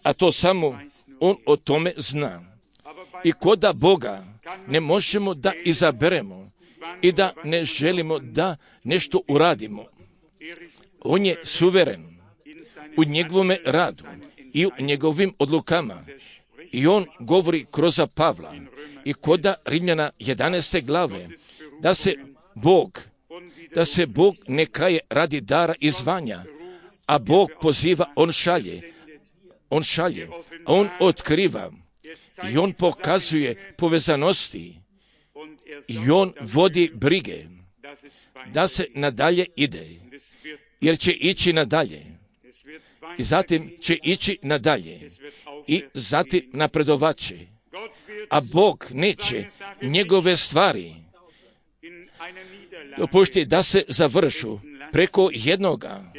a to samo On o tome zna. I koda Boga ne možemo da izaberemo i da ne želimo da nešto uradimo. On je suveren u njegovome radu i u njegovim odlukama. I on govori kroz Pavla i koda Rimljana jedanaeste glave da se Bog, da se Bog ne kaje radi dara i zvanja, a Bog poziva, on šalje, on šalje, a on otkriva i on pokazuje povezanosti i on vodi brige da se nadalje ide, jer će ići nadalje. I zatim će ići nadalje i zatim napredovaće. A Bog neće njegove stvari dopušti da se završu preko jednoga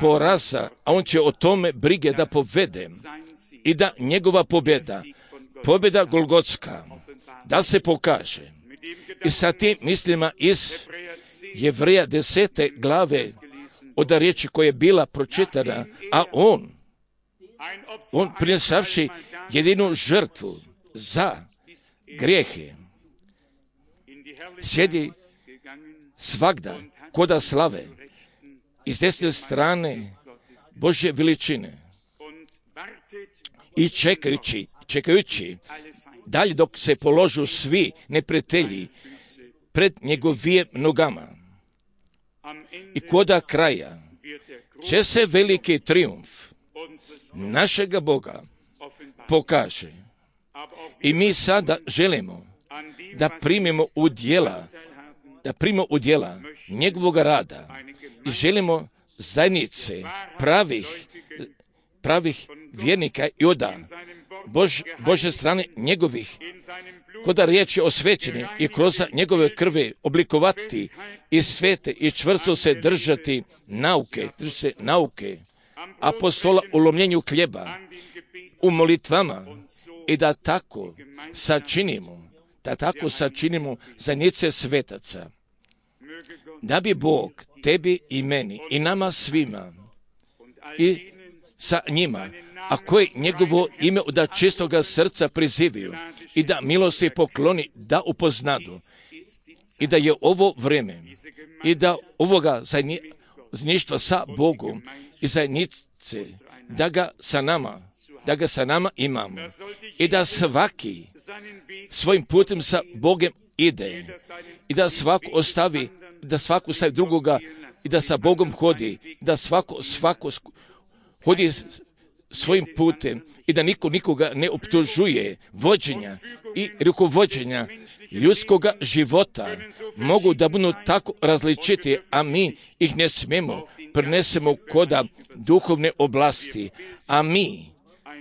poraza, a on će o tome brige da povede i da njegova pobjeda, pobjeda Golgotska, da se pokaže. I sa tim mislima iz Jevreja desete glave od riječi koja je bila pročitana, a on, on prinesavši jedinu žrtvu za grijehe, sjedi svagda koda slave iz desne strane Božje veličine i čekajući, čekajući dalje dok se položu svi neprijatelji pred njegovim nogama. I koda kraja će se veliki trijumf našega Boga pokaže. I mi sada želimo da primimo u djela, da primimo u djela njegovog rada i želimo zajednice pravih, pravih vjernika i oda Bož, Božje strane njegovih, koda riječ je osvećeni i kroz njegove krvi oblikovati i svete i čvrsto se držati nauke, držati se nauke apostola u lomljenju hljeba, u molitvama i da tako sačinimo, da tako sačinimo zajednice svetaca. Da bi Bog tebi i meni i nama svima i sa njima, a koji njegovo ime od čistoga srca prizivaju i da milosti pokloni, da upoznadu i da je ovo vrijeme i da ovoga zajedništva sa Bogom i zajednice, da ga sa nama da ga sa nama imamo i da svaki svojim putem sa Bogom ide i da svako ostavi, da svako ostavi drugoga i da sa Bogom hodi, da svako, svako hodi svojim putem i da niko nikoga ne optužuje. Vođenja i rukovođenja ljudskoga života mogu da budu tako različiti, a mi ih ne smemo prenesemo koda duhovne oblasti, a mi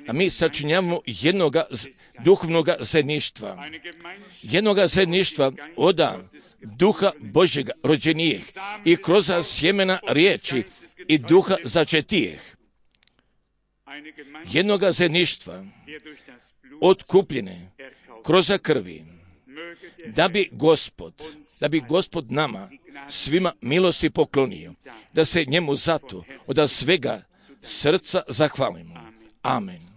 a mi sačinjavamo jednoga duhovnoga zajedništva, jednoga zajedništva oda duha Božjega rođenijeh i kroz sjemena riječi i duha začetijeh, jednoga zajedništva otkupljene kroz krvi, da bi Gospod, da bi Gospod nama svima milosti poklonio, da se njemu zato od svega srca zahvalimo. Amen.